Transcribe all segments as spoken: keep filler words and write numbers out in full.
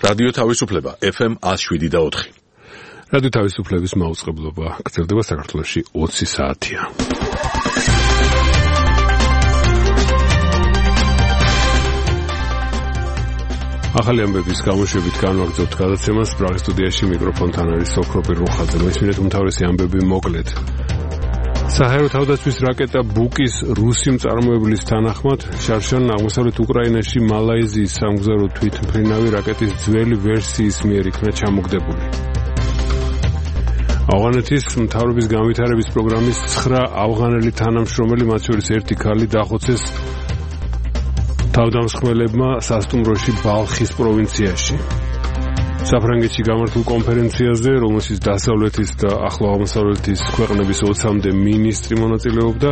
რადიო თავისუფლება ეფ ემ one oh seven და four. რადიო თავისუფლების მაუწყებლობა გრძელდება საქართველოში ოცი საათია. ახალი ამბების გამოშვებით განვაგრძობთ გადაცემას. პრაღის სტუდიაში მიკროფონთან არის სოფროპი რუხაძე. მესმინეთ უმთავრესი ამბები მოკლედ. საჰაერო თავდაცვის რაკეტა ბუკის რუსი მწარმოებლის თანახმად შარშან აღმოსავლეთ უკრაინაში მალაიზიის სამგზავრო თვითმფრინავი რაკეტის ძველი ვერსიის მიერ იქნა ჩამოგდებული. ავღანეთის მთავრობის განვითარების პროგრამის ცხრა ავღანელი თანამშრომელი, მათ შორის ერთი ქალი დახოცეს თავდამსხმელებმა სასტუმროში ბალხის პროვინციაში. საფრანგეთში გამართულ კონფერენციაზე, რომელშიც დასავლეთის და ახლო აღმოსავლეთის ქვეყნების ოცამდე მინისტრი მონაწილეობდა,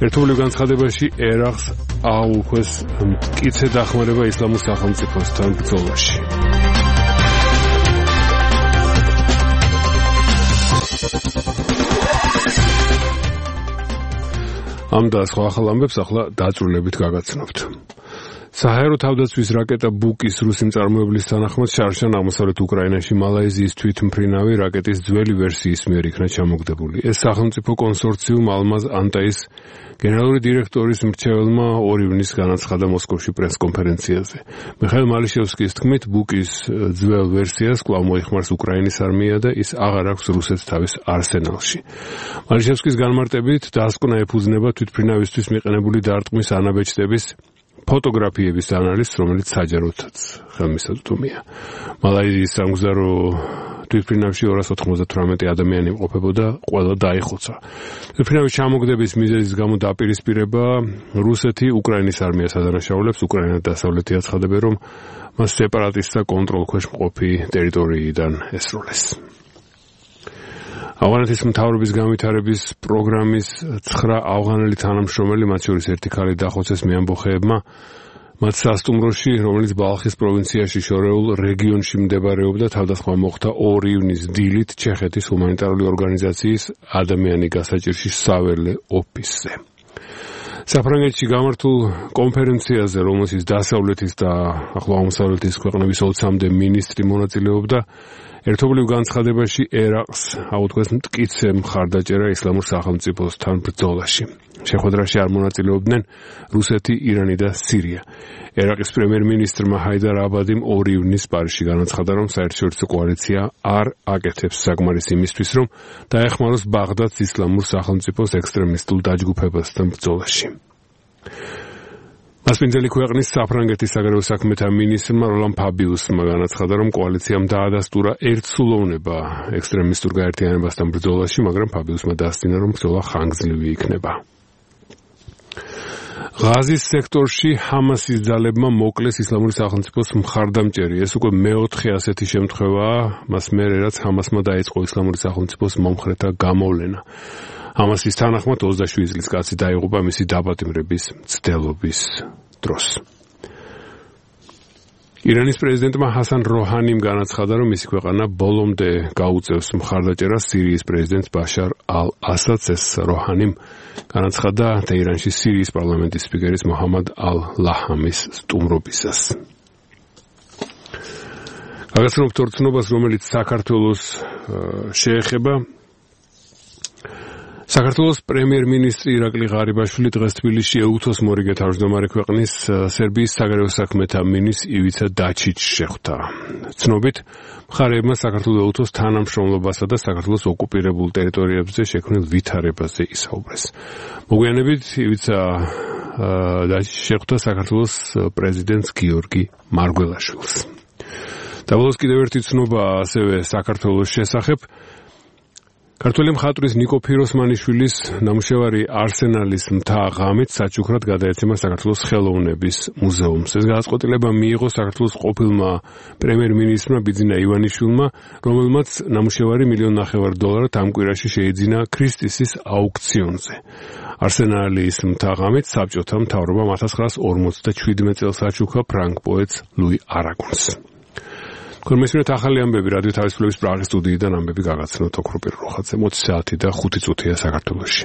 ერთობლივ განცხადებაში ერაყს ააუქვეს მტკიცე დახმარება ისლამურ სახელმწიფოსთან ბრძოლაში. ამ და სხვა ახალ ამბებს ახლა დაწვრილებით გაგაცნობთ. საჰაერო თავდაცვის რაკეტა ბუკის რუსი მწარმოებლის თანახმად შარშან აღმოსავლეთ უკრაინაში მალაიზიის თვითმფრინავი რაკეტის ძველი ვერსიის მიერ იქნა ჩამოგდებული. ეს სახელმწიფო კონსორციუმ ალმაზ ანტაის გენერალური დირექტორის მრჩეველმა ორი ივნის განაცხადა მოსკოვში პრესკონფერენციაზე. მიხაილ მალიშევსკის თქმით, ბუკის ძველ ვერსიას კვლავ მოიხმარს უკრაინის არმია და ის აღარ აქვს რუსეთს თავის არსენალში. მალიშევსკის განმარტებით, დასკვნა ეფუძნება თვითმფრინავისთვის მიყენებული დარტყმის ანაბეჭდების ფოტოგრაფიების ანალიზს, რომელიც საჯაროდაც ხელმისაწვდომია. მალაიზიის სამგზავრო თვითმფრინავში ორას ოთხმოცდათვრამეტი ადამიანი იმყოფებოდა, ყველა დაიხოცა. თვითმფრინავის ჩამოგდების მიზეზის გამო დაპირისპირება რუსეთი უკრაინის არმიას ადანაშაულებს. უკრაინა და დასავლეთი აცხადებენ, რომ მას სეპარატისტთა კონტროლქვეშ მყოფი ტერიტორიიდან ესროლეს. ავღანეთის მთავრობის განვითარების პროგრამის ცხრა ავღანელი თანამშრომელი, მათ შორის ერთი ქალი დახოცეს მეამბოხეებმა მათ სასტუმროში, რომელიც ბალხის პროვინციაში შორეულ რეგიონში მდებარეობდა. თავდასხმა მოხდა ორი ივნის დილით ჩეხეთის ჰუმანიტარული ორგანიზაციის ადამიანი გასაჭირში საველე ოფისზე. საფრანგეთში გამართულ კონფერენციაზე, რომელშიც დასავლეთის და ახლო აღმოსავლეთის ქვეყნების ოცამდე მინისტრი მონაწილეობდა, ერთობლივ განცხადებაში ერაყს აუდგეს მტკიცე მხარდაჭერა ისლამურ სახელმწიფოსთან ბრძოლაში. შეხვედრაში არ მონაწილეობდნენ რუსეთი, ირანი და სირია. ერაყის პრემიერ-მინისტრმა ჰაიდარ აბადიმ ორი ივნის პარიზში განაცხადა, რომ საერთაშორისო კოალიცია არ აკეთებს საკმარისს იმისთვის, რომ დაეხმაროს ბაღდადს ისლამურ სახელმწიფოს ექსტრემისტულ დაჯგუფებასთან ბრძოლაში. მასპინძელი ქვეყნის საფრანგეთის საგარეო საქმეთა მინისტრმა როლან ფაბიუსმა განაცხადა, რომ კოალიციამ დაადასტურა ერთსულოვნება ექსტრემისტურ გაერთიანებასთან ბრძოლაში, მაგრამ ფაბიუსმა დასძინა, რომ ბრძოლა ხანგრძლივი იქნება. ღაზის სექტორში ჰამასის ძალებმა მოკლეს ისლამური სახელმწიფოს მხარდამჭერი. ეს უკვე მეოთხე ასეთი შემთხვევაა, მას მერე რაც ჰამასმა დაიწყო ისლამური სახელმწიფოს მომხრეთა გამოვლენა. ჰამასის თანახმად ოცდაშვიდი წლის კაცი დაიღუპა მისი დაპატიმრების მცდელობის დროს. ირანის პრეზიდენტმა ჰასან როჰანიმ განაცხადა, რომ მისი ქვეყანა ბოლომდე გაუწევს მხარდაჭერას სირიის პრეზიდენტ ბაშარ ალ-ასადს. ეს როჰანიმ განაცხადა თეირანში სირიის პარლამენტის სპიკერის მოჰამად ალ-ლაჰამის სტუმრობისას. გაგაცნობთ ორ ცნობას, რომელიც საქართველოს შეეხება. საქართველოს პრემიერ-მინისტრი ირაკლი ღარიბაშვილი დღეს თბილისში ეუთოს მორიგე თავმჯდომარე ქვეყნის სერბიის საგარეო საქმეთა მინისტრ ივიცა დაჩიჩს შეხვდა. ცნობით, მხარეებმა საქართველოს ეუთოს თანამშრომლობასა და საქართველოს ოკუპირებულ ტერიტორიებზე შექმნილ ვითარებაზე ისაუბრეს. მოგვიანებით ივიცა დაჩიჩს შეხვდა საქართველოს პრეზიდენტს გიორგი მარგველაშვილს. და ბოლოს კიდევ ერთი ცნობა ასევე საქართველოს შესახებ. ქართველი მხატვრის ნიკო ფიროსმანიშვილის ნამუშევარი არსენალის მთა ღამით საჩუქრად გადაეცემა საქართველოს ხელოვნების მუზეუმს. ეს გადაწყვეტილება მიიღო საქართველოს ყოფილმა პრემიერ-მინისტრმა ბიძინა ივანიშვილმა, რომელმაც ნამუშევარი მილიონ ნახევარ დოლარად ამ კვირაში შეიძინა ქრისტისის აუქციონზე. არსენალის მთა ღამით საბჭოთა მთავრობამ ათას ცხრაას ორმოცდაშვიდმეტ წელს აჩუქა ფრანგ პოეტს ლუი არაგონს. Komisionat ახალი ამბები რადიო თავისუფლების პრაღის სტუდიიდან ამბები გაგაცნოთ ოქროპირ როხაძე. ოცი საათი და ხუთი წუთია საქართველოში.